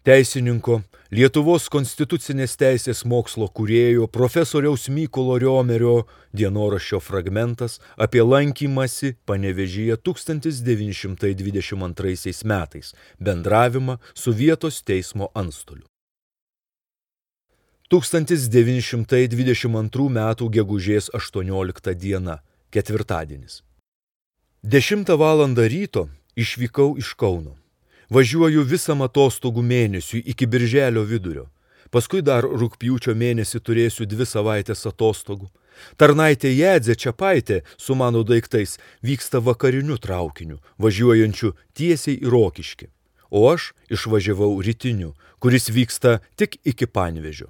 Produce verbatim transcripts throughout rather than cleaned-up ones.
Teisininko, Lietuvos konstitucinės teisės mokslo kūrėjo profesoriaus Mykolo Riomerio dienoraščio fragmentas apie lankymąsi Panevėžyje tūkstantis devyni šimtai dvidešimt antraisiais metais, bendravimą su vietos teismo antstoliu. tūkstantis devyni šimtai dvidešimt antrų metų gegužės aštuoniolikta diena, ketvirtadienis. dešimtą valandą ryto išvykau iš Kauno. Važiuoju visam atostogų mėnesiui iki birželio vidurio. Paskui dar rugpjūčio mėnesį turėsiu dvi savaitės atostogų. Tarnaitė Jadzė Čepaitė su mano daiktais vyksta vakariniu traukiniu, važiuojančiu tiesiai į Rokiškį. O aš išvažiavau rytiniu, kuris vyksta tik iki Panevėžio.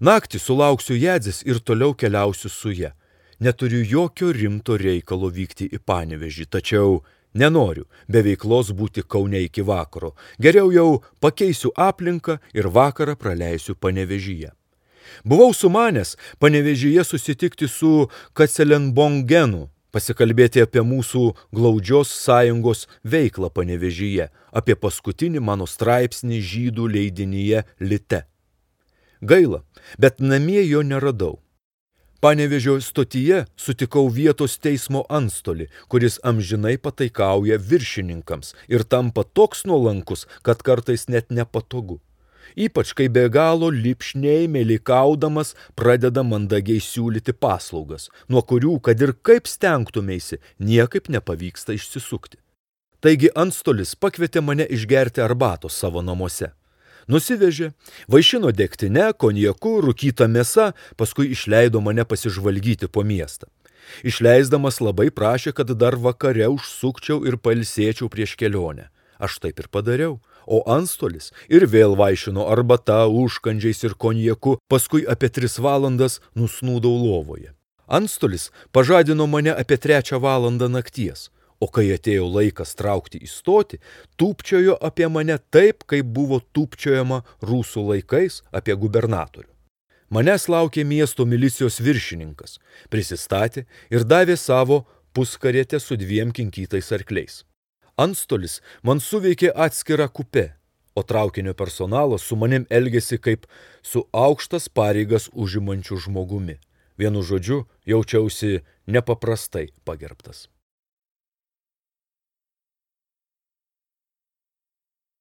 Naktį sulauksiu Jadzės ir toliau keliausiu su ja. Neturiu jokio rimto reikalo vykti į Panevėžį, tačiau nenoriu be veiklos būti Kaune iki vakaro. Geriau jau pakeisiu aplinką ir vakarą praleisiu Panevėžyje. Buvau sumanęs Panevėžyje susitikti su Kacelenbongenu, pasikalbėti apie mūsų glaudžios sąjungos veiklą Panevėžyje, apie paskutinį mano straipsnį žydų leidinyje Lite. Gaila, bet namie jo neradau. Panevėžio stotyje sutikau vietos teismo antstolį, kuris amžinai pataikauja viršininkams ir tampa toks nuolankus, kad kartais net nepatogu. Ypač kai be galo lipšniai meilikaudamas pradeda mandagiai siūlyti paslaugas, nuo kurių, kad ir kaip stengtumėsi, niekaip nepavyksta išsisukti. Taigi antstolis pakvietė mane išgerti arbatos savo namuose. Nusivežė, vaišino degtine, konjaku, rūkyta mėsa, paskui išleido mane pasižvalgyti po miestą. Išleisdamas labai prašė, kad dar vakare užsukčiau ir pailsėčiau prieš kelionę. Aš taip ir padariau, o antstolis ir vėl vaišino arbata, užkandžiais ir konjaku, paskui apie tris valandas nusnūdau lovoje. Antstolis pažadino mane apie trečią valandą nakties. O kai atėjo laikas traukti į stotį, tūpčiojo apie mane taip, kaip buvo tūpčiojama rusų laikais apie gubernatorių. Manęs laukė miesto milicijos viršininkas, prisistatė ir davė savo puskarietę su dviem kinkytais arkliais. Antstolis man suveikė atskirą kupę, o traukinio personalas su manim elgėsi kaip su aukštas pareigas užimančiu žmogumi. Vienu žodžiu, jaučiausi nepaprastai pagerbtas.